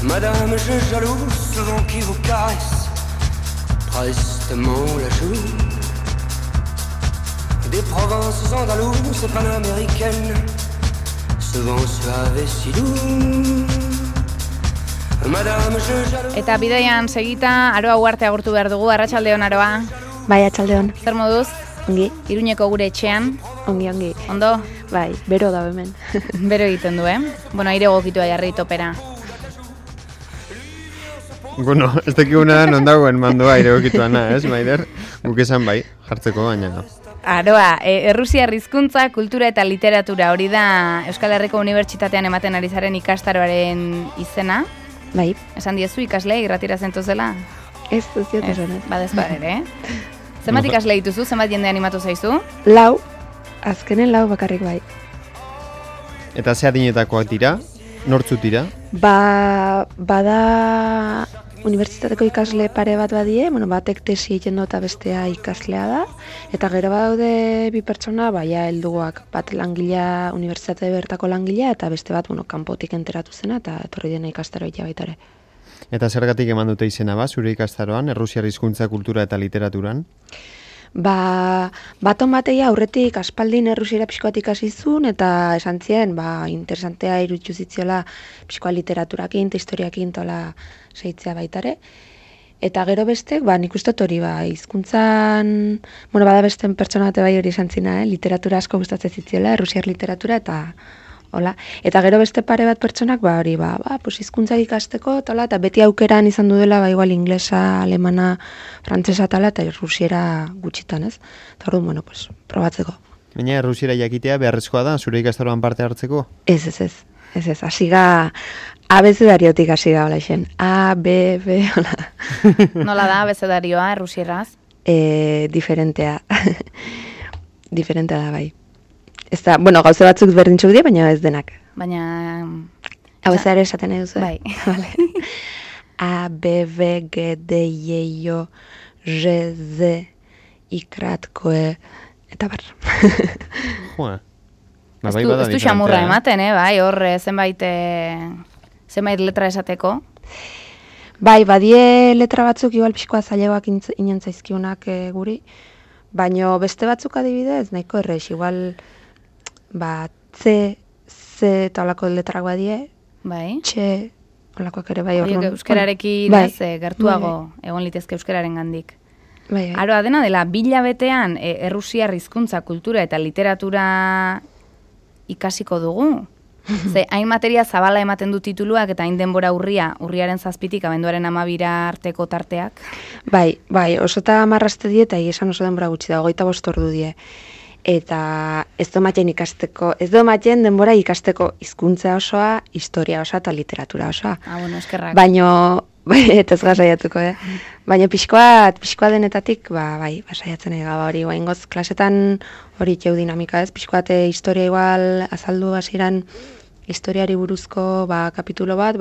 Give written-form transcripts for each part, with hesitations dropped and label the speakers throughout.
Speaker 1: Madame, je jalouse ce vent qui vous caresse prestement la joue. Des provinces andalouses panaméricaines, ce vent suave et si doux. Madame, je jalouse.
Speaker 2: Eta bidaian segita, Aroa Uarte agurtu behar dugu, arratsaldeon Aroa.
Speaker 3: Bai, atxaldeon.
Speaker 2: Zer moduz?
Speaker 3: Ongi.
Speaker 2: Iruñeko gure etxean.
Speaker 3: Ongi.
Speaker 2: Ondo?
Speaker 3: Bai, bero da hemen.
Speaker 2: Bero egiten du, Bueno, aire gokitua jarri topera.
Speaker 4: Bueno, ez dakiguna non dagoen mandoa aire gokituana, ez, Maider? Guk esan bai, jartzeko baina.
Speaker 2: Aroa, Errusiar hizkuntza, kultura eta literatura, hori da Euskal Herriko Unibertsitatean ematen ari zaren ikastaroaren izena.
Speaker 3: Bai.
Speaker 2: Esan diezu ikasle irratira zentuzela?
Speaker 3: Ez duziot esan.
Speaker 2: Badezpa ere, Zenbat ikasle dituzu, zenbat jende animatu zaizu?
Speaker 3: 4, azkenen 4 bakarrik bai.
Speaker 4: Eta ze adinetakoak dira? Nortzut dira?
Speaker 3: Bada unibertsitateko ikasle pare bat badie, batek tesi egiten du eta bestea ikaslea da, eta gero badaude 2 pertsona, baia helduak, bat langilea, unibertsitate bertako langilea, eta beste bat, kanpotik enteratu zena, eta etorri dena ikastaroa baitare.
Speaker 4: Eta zergatik eman dute izena zure ikastaroan, Errusiar hizkuntza, kultura eta literaturan?
Speaker 3: Baton bateia aurretik aspaldin errusiera pixkoat ikasi zuen, eta esan zien, interesantea iruditu zitziola pixkoa literaturakin, eta historiakin tola seitzea baitare. Eta gero bestek, nik uste hori, hizkuntzan, bada besten pertsona bate bai hori esan zina, literatura asko gustatzen zitziola, errusiar literatura, eta hola. Eta gero beste pare bat pertsonak, hori, hizkuntzak ikasteko, eta beti aukeran izan dudela, igual inglesa, alemana, frantsesa tala, eta errusiera gutxitan, ez? Eta orduan, probatzeko.
Speaker 4: Baina errusiera jakitea beharrezkoa da, zure ikastaroan parte hartzeko?
Speaker 3: Ez, hasiga, abezedariotik hasiga, hola esen. A, B, B, hola.
Speaker 2: Nola da abezedarioa, errusieraz?
Speaker 3: Diferentea. Diferentea da, bai. Ez da, gauze batzuk berdintzuk dira, baina ez denak.
Speaker 2: Baina...
Speaker 3: Hau ez ere esaten nahi duzu?
Speaker 2: Bai.
Speaker 3: A, B, B, G, D, I, O, R, Z, ikrat, koe, eta bar.
Speaker 4: Joa.
Speaker 2: Ez du xamurra ematen, bai, hor zenbait letra esateko.
Speaker 3: Bai, badie letra batzuk igual pixkoa zailegoak inen zaizkiunak guri, baina beste batzuk adibidez, nahiko errez, igual... C eta olako letrak badie,
Speaker 2: bai.
Speaker 3: Txe, olakoak ere bai horren.
Speaker 2: Euskararekin gertuago egon litezke euskararen gandik.
Speaker 3: Bai.
Speaker 2: Aroa dena dela, 2 hilabetean errusiar hizkuntza, kultura eta literatura ikasiko dugu. Hain materia zabala ematen du tituluak eta hain denbora urriaren 7tik abenduaren 12 arteko tarteak. Bai,
Speaker 3: oso eta marraste die eta esan oso denbora gutxi da, 25 ordu die. Eta ez du ematen denbora ikasteko hizkuntza osoa, historia osoa eta literatura osoa.
Speaker 2: Eskerrak.
Speaker 3: Baina, eta ez gazaiatuko, Baina pixkoa denetatik, saiatzen ega, hori, ingoz, klasetan hori txeu dinamika, ez? Pixkoate historia igual azaldu hasieran historiari buruzko, kapitulo bat,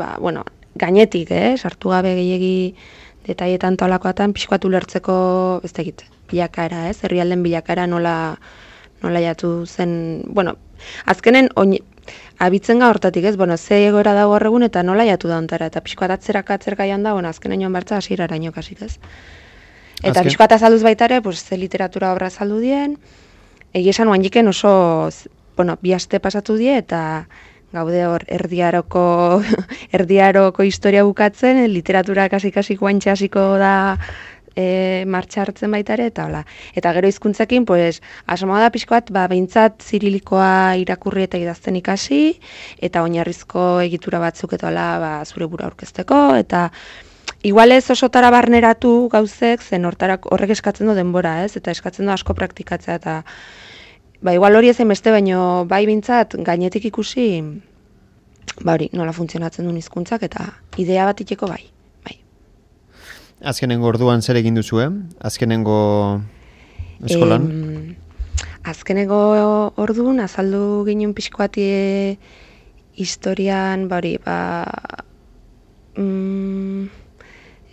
Speaker 3: gainetik, sartu gabe gehiegi detaietan tolakoatan, pixkoatu lertzeko, ez tegit, bilakaera, herrialden bilakaera nola jatu zen, azkenen abitzen ga hortatik, ez, ze egoera dago horregun eta nola jatu da ontara, eta pixkoat atzeraka joan da, azkenen joan bartza hasieraraino kasik, ez. Eta pixkoat azalduz baitare, ze literatura obra azaldu dien, egia esan oanjiken oso, 2 aste pasatu die, eta gaude hor erdiaroko historia bukatzen, literatura kasi guantxe hasiko da martxa hartzen baitare, eta hola. Eta gero hizkuntzekin, asmoa da pixkoat, behintzat zirilikoa irakurri eta idazten ikasi, eta oinarrizko egitura batzuk eta hola, zure bura aurkezteko, eta igual ez osotara barneratu gauzek, zen horrek eskatzen du denbora, ez? Eta eskatzen du asko praktikatzea, eta igual hori ezen beste, baino bintzat gainetik ikusi, hori, nola funtzionatzen duen hizkuntzak, eta idea bat iteko bai.
Speaker 4: Azkenengo orduan zer egin duzu, Azkenengo eskolan?
Speaker 3: Azkenengo orduan azaldu ginen pixkoati historian,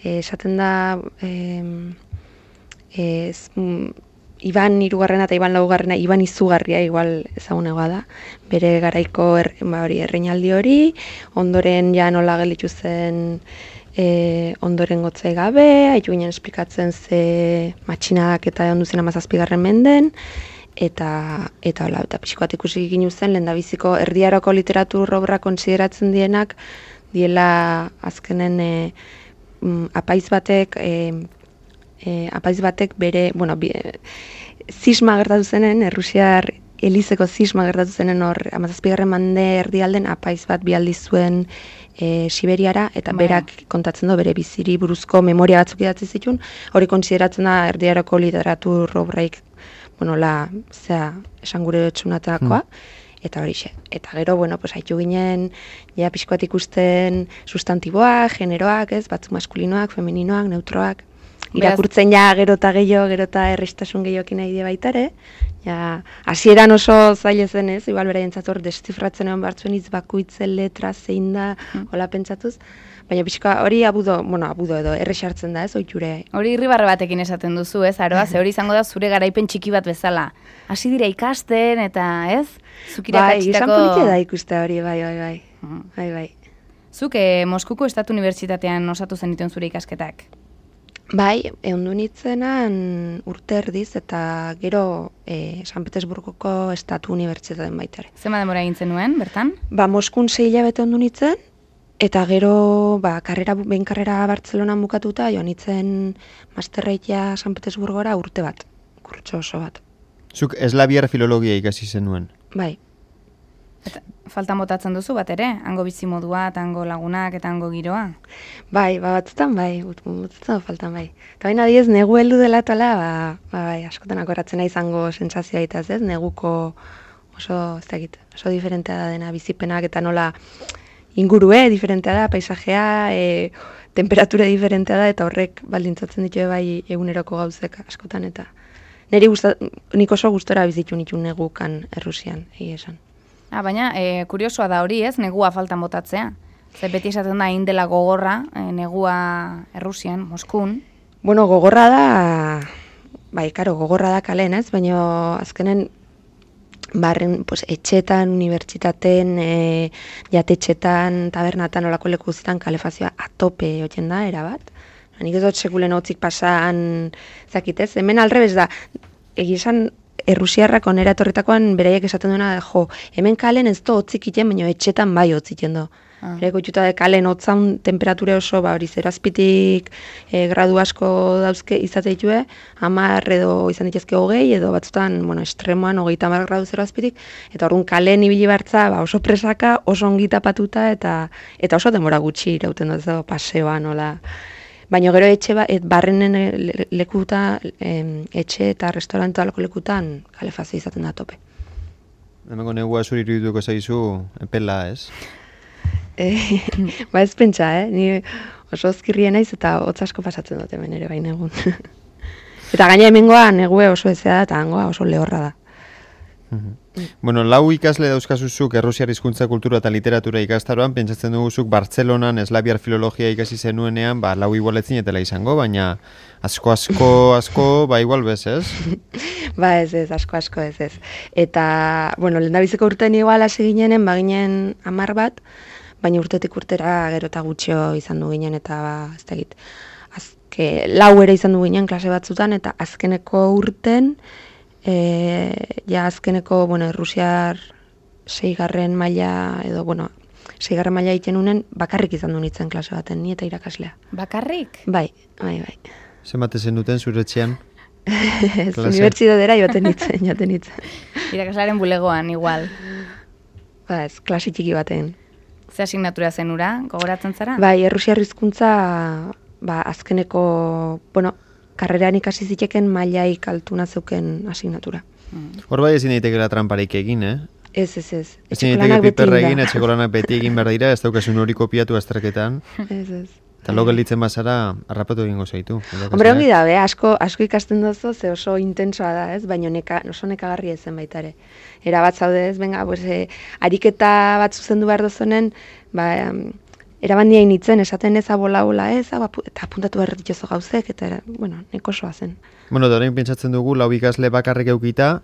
Speaker 3: esaten da Iban hirugarrena eta Iban laugarrena, Iban izugarria igual ezagunegoa da. Bere garaiko erreinaldi hori, ondoren ja nola gelditu zen ondoren gotzai gabe, haitu ginen esplikatzen ze matxinadak eta ondu zen 17. menden, eta pixkoat ikusi ginu zen, lehendabiziko erdiaroko literatur obra konsideratzen dienak, diela azkenen apaiz batek bere, zisma gertatu zenen, Errusiar elizeko zisma gertatu zenen hor, 17. mende erdialden apaiz bat bialdi zuen Siberiara, eta berak kontatzen du bere biziri buruzko memoria batzuk idatzi zituen, hori konsideratzen da erdiaroko literatur obraik, esan gure txunatakoa, eta horixe. Eta gero, haitu ginen, ja pixkoat ikusten sustantiboak, generoak, batzuk maskulinoak, femeninoak, neutroak, irakurtzen ja gero eta errestasun gehiokin nahi die baitare. Ja, hasieran oso zaila zen ez, igual beraientzat hor deszifratzen egon bartzuen hitz bakoitzen letra zein da, hola pentsatuz. Baina pixka hori abudo edo errexartzen da ez, oiture.
Speaker 2: Hori irribarre batekin esaten duzu ez, Aroa, ze hori izango da zure garaipen txiki bat bezala. Hasi dira ikasten eta ez?
Speaker 3: Izan politia da ikuste hori, bai.
Speaker 2: Zuk Moskuko Estatu Unibertsitatean osatu zenituen zure ikasketak?
Speaker 3: Bai, ehundu nitzenan urte erdiz eta gero San Petersburgoko Estatu Unibertsitatean baitare.
Speaker 2: Zema denbora egin zenuen, bertan?
Speaker 3: Moskun 6 hilabete ehundu nitzen, eta gero karrera Bartzelonan bukatuta joan nitzen masterreikia San Petersburgora urte bat, kurtso oso bat.
Speaker 4: Zuk eslaviar filologia ikasi zenuen?
Speaker 3: Bai.
Speaker 2: Eta faltan botatzen duzu bat ere? Hango bizimodua, eta hango lagunak, eta hango giroa?
Speaker 3: Bai, batzutan faltan bai. Eta baina adiez, negu heldu dela tola, bai, askotan akoratzen izango sentsazioa itaz, ez? Neguko oso diferentea da dena bizipenak, eta nola ingurue diferentea da, paisajea, temperatura diferentea da, eta horrek baldintzatzen ditu bai eguneroko gauzek askotan, eta nik oso gustora bizitu nitu negukan Errusian, esan.
Speaker 2: Baina, kuriosoa da hori ez, negua faltan botatzea. Zer beti esaten da indela gogorra, negua Errusian, Moskun.
Speaker 3: Gogorra da, gogorra da kalen ez, baina azkenen etxetan, unibertsitaten, jatetxetan, tabernatan, olako leku guztietan kalefazioa atope oten da, erabat. Nik ez dut sekulen hotzik pasan zakitez, hemen alrebez da, egizan Errusiarrak onera etorritakoan beraiek esaten duena, hemen kalen ez do hotzik iten, baina etxetan bai hotzik iten do. Bereko itxuta de kalen hotzan temperatura oso, hori 0 gradu asko dauzke izate ditue, 10 edo izan dituzke 20, edo batzutan, estremoan 30 gradu 0 eta orduan kalen ibili bartza, oso presaka, oso ongi tapatuta, eta oso denbora gutxi irauten dut, paseoan, nola. Baina gero barrenen lekuta, etxe eta restaurantualako lekutan kalefazio izaten da tope.
Speaker 4: Hemengo negua zuri irudituko zaizu epela, ez?
Speaker 3: Ez pentsa, ni oso ozkirrien naiz eta hotz asko pasatzen dut hemen ere bain egun. Eta gaina hemengoa negue oso ezea da eta hangoa oso lehorra da.
Speaker 4: Lau ikasle dauzkazuzuk Errusiar hizkuntza kultura eta literatura ikastaroan, pentsatzen duguzuk Bartzelonan eslaviar filologia ikasi zenuenean, lau igualetzin etela izango, baina asko, igual bez, ez?
Speaker 3: Ez, asko ez. Eta, lehendabiziko urtean igual hasi ginenen, baginen 10 bat, baina urtetik urtera gero eta gutxio izan du ginen, eta ez da egit. 4 ere izan du ginen klase batzutan, eta azkeneko urten, azkeneko, Errusiar 6. maila, edo, 6. maila egiten unen, bakarrik izan du nitzen klase baten, ni eta irakaslea.
Speaker 2: Bakarrik?
Speaker 3: Bai.
Speaker 4: Zenbat ezen duten zure etxean?
Speaker 3: Unibertsitatera joaten nitzen.
Speaker 2: Irakaslearen bulegoan, igual.
Speaker 3: Ez, klase txiki baten.
Speaker 2: Ze asignatura zenura, gogoratzen zara?
Speaker 3: Bai, Errusiar hizkuntza, azkeneko, karreran ikasi ziteken mailaik altuna zeuken asignatura.
Speaker 4: Hor bai ezin daitekela tramparik egin,
Speaker 3: Ez.
Speaker 4: Ezin daiteke piperra egin, etxeko lanak beti egin behar dira, ez daukasun hori kopiatu azterketan.
Speaker 3: Ez.
Speaker 4: Eta lo gelditzen bazara, harrapatu egingo zaitu.
Speaker 3: Hombre, ongi da, asko ikasten duzu, ze oso intensoa da, ez? Baina oso nekagarria ezen baitare. Era bat zaude ez, ariketa bat zuzendu behar dozonen, erabandia initzen, esaten eza bola ez, eta apuntatu behar dituzo gauzek, eta, bueno, neko soa zen.
Speaker 4: Bueno, da orain pentsatzen dugu, 4 ikasle bakarrik eukita,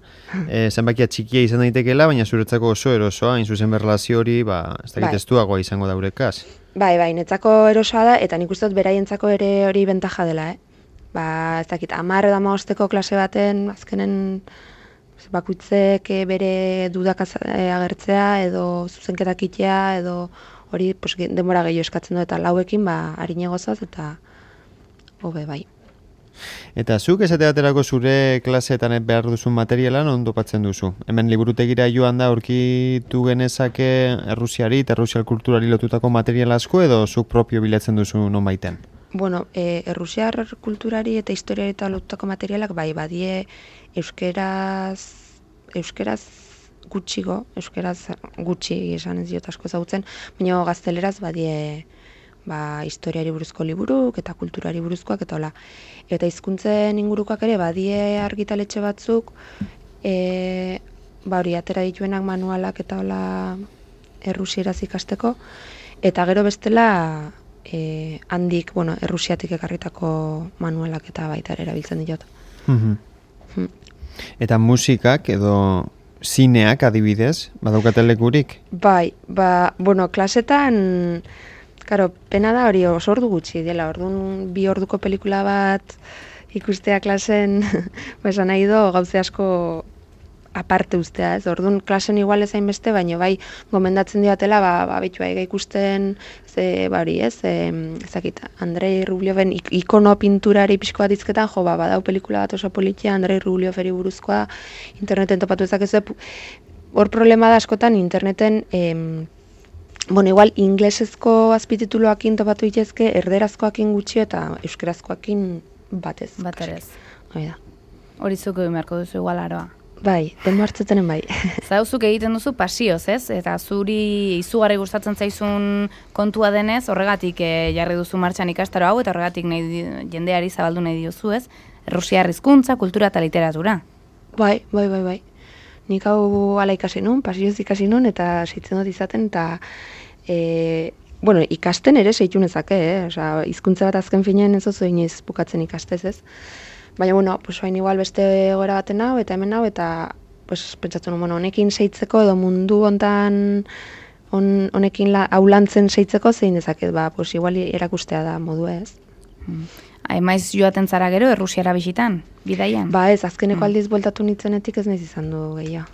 Speaker 4: zenbakia txikia izan daitekeela, baina zuretzako oso erosoa, hain zuzen berrelazio hori, ez dakit estuagoa izango da eurekaz.
Speaker 3: Bai, netzako erosoa da, eta nik uste dut beraientzako ere hori bentaja dela, ez dakit, 10 edo 15 klase baten, azkenen bakuitzek bere dudak agertzea, edo zuzenketak itea, edo hori denbora gehiago eskatzen du, eta 4ekin, harine gozoz, eta hobe bai.
Speaker 4: Eta zuk esate baterako zure klaseetan behar duzun materialan ondo patzen duzu? Hemen liburutegira joan da aurkitu genezake Errusiari eta Errusial kulturari lotutako material asko edo zuk propio bilatzen duzu non baiten?
Speaker 3: Bueno, Errusiar kulturari eta historiari eta lotutako materialak bai, badie euskeraz gutxi esan ez diot asko ezagutzen, baina gazteleraz badie historiari buruzko liburuk eta kulturari buruzkoak eta hola. Eta hizkuntzen ingurukoak ere badie argitaletxe batzuk, hori atera dituenak manualak eta hola errusieraz ikasteko, eta gero bestela handik, errusiatik ekarritako manualak eta baita ere erabiltzen diot.
Speaker 4: Eta musikak edo zineak adibidez, badaukate lekurik?
Speaker 3: Bai, klasetan, karo, pena da hori oso ordu gutxi dela, orduan 2 orduko pelikula bat ikustea klasen, esan nahi do, gauze asko aparte ustea, ez? Orduan klasen igual ezain beste, baina bai gomendatzen diatela, bitu ikusten, ezakit, Andrei Rublioven ikono pinturari pixko bat izketan, badau pelikula bat oso politia, Andrei Rublioveri buruzkoa, interneten topatu ezakezu, hor problema da askotan interneten, igual inglesezko azpitituluakin topatu itezke, erderazkoakin gutxi eta euskerazkoakin batez.
Speaker 2: Hori zuko beharko duzu igual aroa.
Speaker 3: Bai, denbo hartzeten bai.
Speaker 2: Zauzuk egiten duzu pasioz, ez? Eta zuri izugarri gustatzen zaizun kontua denez, horregatik jarri duzu martxan ikastaro hau, eta horregatik jendeari zabaldu nahi diozu, ez? Errusiar hizkuntza, kultura eta literatura.
Speaker 3: Bai. Nik hau ala ikasi nun, pasioz ikasi nun, eta seitzen dut izaten, eta ikasten ere seitu nezake, hizkuntza bat azken finean ez oso inoiz bukatzen ikastez, ez? Baina, hain igual beste gora baten hau, eta hemen hau, eta pentsatzen nun, honekin seitzeko, edo mundu hontan honekin aulantzen seitzeko, zein dezaket, igual erakustea da modu ez.
Speaker 2: Maiz joaten zara gero, Errusiara bisitan, bidaian?
Speaker 3: Ez, azkeneko aldiz bueltatu nintzenetik ez nahiz izan du gehiago.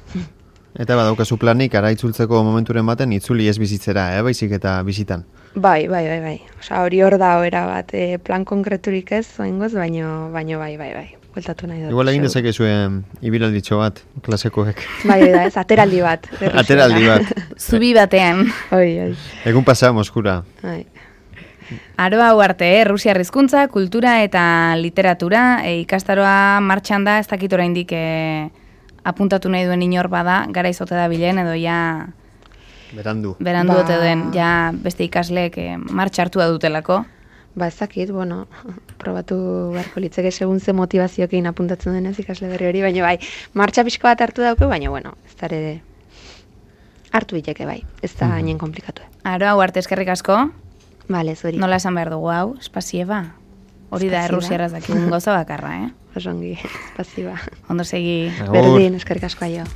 Speaker 4: Eta badaukazu planik, ara itzultzeko momenturen baten, itzuli ez bizitzera, baizik eta bisitan?
Speaker 3: Bai. Hori hor da hori bat, plan konkreturik ez, oingoz, baino bai. Bueltatu nahi dut.
Speaker 4: Igual egin dezakezuen ibilalditxo bat, klasekoek.
Speaker 3: Bai, ez, ateraldi bat.
Speaker 4: Ateraldi bat.
Speaker 2: Zubi batean.
Speaker 3: Oi.
Speaker 4: Egun pasa, Moskura.
Speaker 3: Bai.
Speaker 2: Aroa arte, Errusiar hizkuntza, kultura eta literatura, ikastaroa martxan da, ez dakit oraindik apuntatu nahi duen inor bada, gara izote da bilen, edo ja...
Speaker 4: Berandu
Speaker 2: ote den, ja beste ikasleek martxa hartu da dutelako.
Speaker 3: Ez dakit, probatu beharko litzeke segun ze motivazioekin apuntatzen denez ikasle berri hori, baina bai, martxa pixko bat hartu dauke, baina ez da ere hartu diteke bai, ez da hainen komplikatu.
Speaker 2: Aroa arte eskerrik asko.
Speaker 3: Bale, zuri.
Speaker 2: Nola esan behar dugu hau, espasieba? Hori da errusiaraz dakigun gauza bakarra,
Speaker 3: Osongi, espasieba.
Speaker 2: Ondo segi.
Speaker 3: Berdin, eskerrik asko aio.